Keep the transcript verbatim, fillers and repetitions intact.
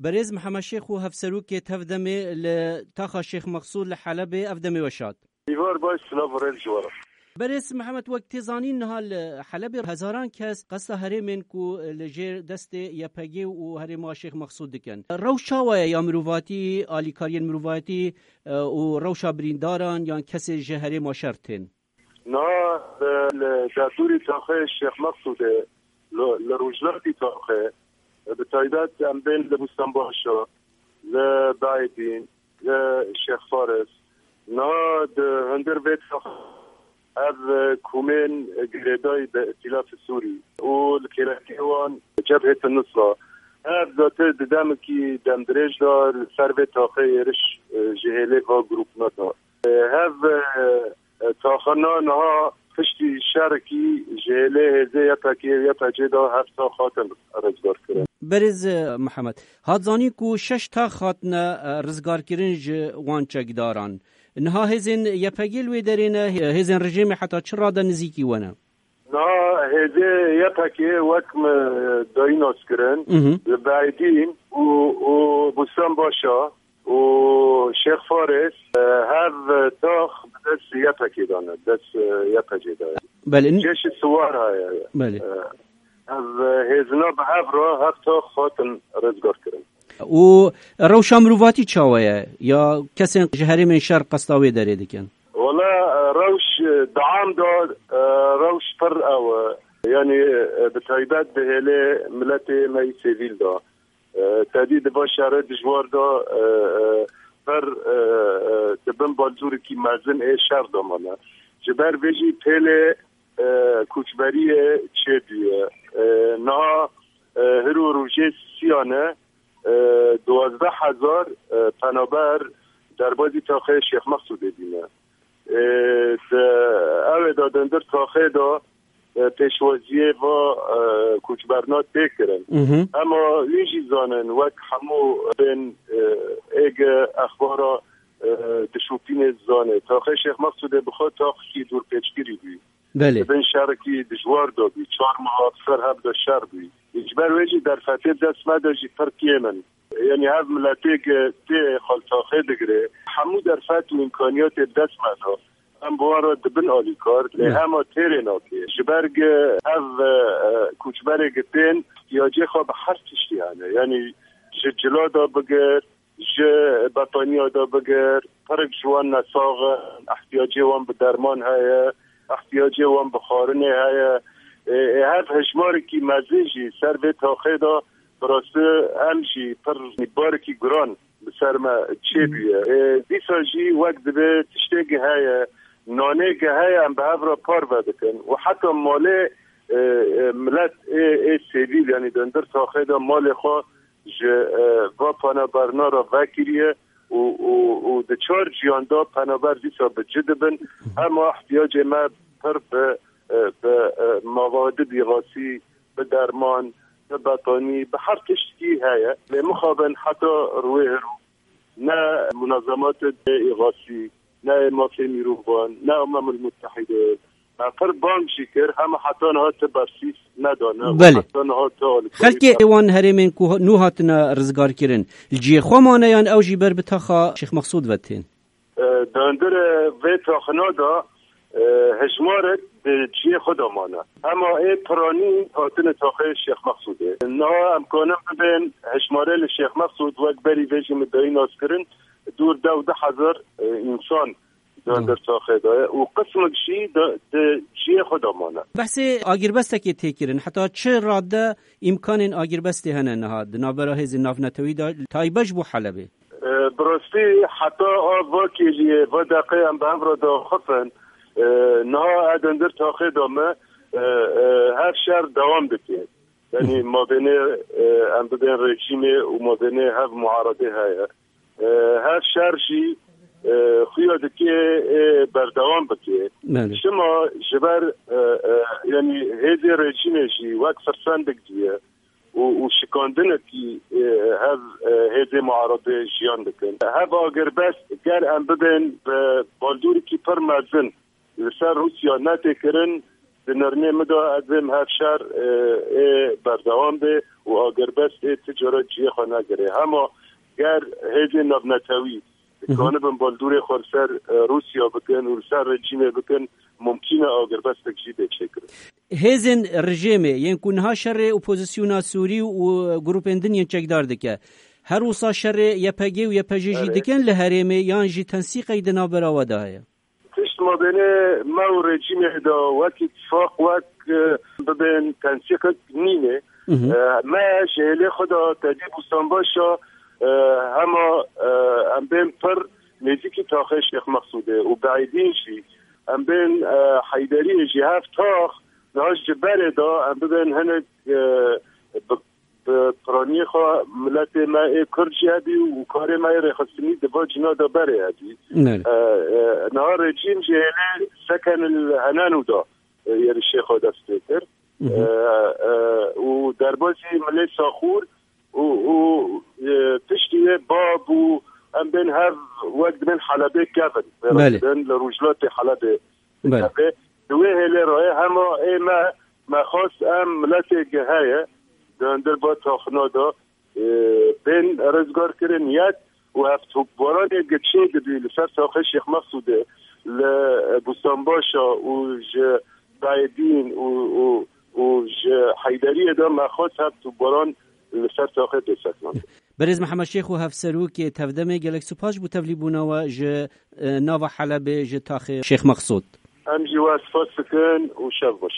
Berêz Mihemed Şêx û hevserokê tevdemê li taxa Şêx Mexsûd li Helebê, ev demê we şad. Îvar baş, silav û rêz ji we re. Berêz Mihemed, wek tê zanîn, niha li Helebê hezaran kes qesta herêmên ku li jêr destê Y P G û herêma Şêx Mexsûd dikin. Rewş çawa ye ya mirovatî, alîkariyên mirovatî, e, û rewşa birîndaran yan kesê ji herêma şer tên? Niha, e, li derdorî taxê Şêx Mexsûdê, li, li rojhilatî taxê, e, bi taybet em bên li Bûstenbaşa, li Beydîn, li Şêx Faris. Niha di hundir vê taxê ev, e, komên girêdayî bi Îtîlafê Sûrî û li kêlekê wan Cebhê Nusra. Ev zaten di demekî demdirêj de li ser vê taxê êriş, e, ji hêlê va grûpna da. Hev, e, taxana niha piştî şerekî ji hêlê hêzê Y P G û Y P G de hev tax hatin rizgarkirin. Berêz, e, Mihemed, hat zanîn ku şeş tax hatine, e, rizgarkirin ji wan çekdaran. Niha hêzên Y P G li wê derê ne, hê-, hêzên rejîmê heta çi rade nizîkî we ne? Niha hêzê Y P G wek me dayî naskirin, Mhm. li Beydîn û, û Bûstenbaşa û Şêx Faris, e, hev tax bi dest Y P G de ne, dest, e, Y P G de ye. Belê. Cêşî Siwar heye. Belê. E, ev, e, hêzina bi hev re hev tax hatin rizgarkirin. Û rewşa mirovatî çawa ye? Ya kesên ji herêmên şer qesta wê derê dikin? Wala, e, rewş, e, di am de, e, rewş pir ew e. Yanî, e, bi taybet di hêlê miletê me yî sivîl de. E, tedî di va şerê dijwar de, e, e, pir, e, e, di bin baldûrikî mezin ê şer de mane. Ji ber vê jî pêlê, e, koçberiyê çêbûye. E, niha, e, hiro rojê siyane, e, duwazdeh hezar, e, penaber derbazî taxê Şêx Mexsûdê bîne. E, di, ew ê de di hundir taxê de, e, pêşwaziyê va, e, koçberna tê kirin. Mhm. Ema wî jî zanin, wek hemû bên, e, êge exbara, e, dişopînê zane. Taxê Şêx Mexsûdê bi xwe taxekî dûrpêçkirî bû. Belê. Di bin şerekî dijwar de bû. Çar meha bi ser hev de şer bû. Ji ber wê jî derfetê dest me de jî pir kêm in. Yanî hev miletê ke tê xaltaxê digire, hemû derfet û îmkaniyatê bi dest me de. Em bi wan re dibin alîkar, lê Belê. hema têrê nake. Ji ber ke ev, e, e, koçberê ke tên, ihtiyacê xwe bi her tiştî hene. Yanî ji cila de bigir, ji betaniya de bigir, pirik ji wan nesax in, ihtiyacê wan bi derman heye, ihtiyacê wan bi xwarinê heye. Ê, ê, hev hejmarekî mezin jî ser vê taxê de, bi rastî em jî pir barekî giran bi ser me çêbûye. Ê, dîsa jî wek divê tiştê ki heye, nanê ki heye, em bi hev re parve dikin û heta malê, ê, ê, milet ê, ê sivîl, yanî di hundir taxê de malê xwe ji, e, va penaberna re vekiriye û, û, û di çar ciyan de penaber dîsa bi ci dibin. Hema ihtiyacê me pir bi, e, bi, e, mevadê îxasî, bi derman, bi betanî, bi her tiştkî heye. Lê mixabin heta ruwê hiro ne munazematê îxasî, ne mafê mirovan, ne Umemul Muttehîde, me pir bang jî kir, hema heta niha ti bersîs nedane. Belê. Heta niha ti alîkarî Xelkê wan herêmên ku nû hatine rizgarkirin, li cihê xwe mane yan ew jî ber bi taxa Şêx Mexsûd ve tên? E, di hundirê vê taxina de, e, hejmarek di cihê xwe de mane. Hema ê piranî hatine taxê Şêx Mexsûdê. Niha em kanin bibên hejmarê li Şêx Mexsûd wek berî vê jî min dayî naskirin, dûr dew du hezar, e, însan di hundir taxê de ye û qismek jî di, di cihê xwe de mane. Behsê agirbestekê tê kirin. Heta çi rade îmkanên agirbestê hene niha di navbera hêzên navnetewî de, taybet ji bo Helebê? E, bi rastî heta a va kêliyê, va deqê em bi hev re diaxifin, e, niha ez di hundir taxê de me, e, e, hev şer dewam dike. Yanî mabênê, e, em bibên rejîmê û mabênê hev muaredê heye. E, hev şer jî, e, xuya dike, e, berdewam bike. Belê. Şima ji ber, e, e, yanî hêzê rejîmê jî wek firsendek diye û, û şikandinekî, e, hev, e, hêzê muaredê jiyan dikin. Hev agirbest ger em bibên bi baldûrikî pir mezin li ser Rûsya netê kirin, Di nirnê min de ez ê hev şer, e, ê berdewam be û agirbest ê ti cara cihê xwe negire. Hema ger hêzên navnetewî dikanibin baldûrê xwe li ser, e, Rûsya bikin û li ser rejîmê bikin, mumkîn e agirbestek jî bê çêkirin. Hêzên rejîmê yên ku niha şerê opozisyona Sûrî û grûpên din yên çekdar dike, her wisa şerê Y P G û Y P J jî Erê. dikin li herêmê, yan jî tensîqek di navbera we de heye? Tişt mabênê me û rejîmê de wek îtifaq, wek, e, bibên tensîqek nîne. Mhm. E, me ji hêlê xwe de tevî Bûstanbaşa, e, hema, e, em bên pir nêzîkî taxê Şêx Mexsûdê û Beîdîn jî, em bên, e, Heyderiyê jî, hev tax niha ji berê de em bibên hinek, e, bi bi piraniyê xwe miletê me ê Kurd jî hebî û karê me yê rêxistinî di va cîna de berê hebî. Belê. E, e, niha rejîm jî hêlê seken li Henenû de, e, êrişê xwe dest pê kir. Mhm. E, e, û derbazî milê Saxûr û, û, e, piştî wê bab û em bên hev wek dibên Helebê kevin. Belê. Wê dibên li rojhilatê Helebê Belê. Tabii, di wê hêlê re hema ê me, me xwest em miletê ge heye, di hundir ba taxina de, e, bên rizgar kirin yek û hevtûkbaranê ge çê dibî li ser taxê Şêx Mexsûdê, li Bûstanbaşa û ji Beîdîn û, û, û ji Heyderiyê de me xwest hevtûkbaran li ser taxê bê sekinandin. Berêz Mihemed Şêx û Hevserokê Tevdemê, gelek spas bo tevlîbûna we ji, e, nava Helebê, ji taxê Şêx Mexsûd. Em jî we spas dikin û şev xweş.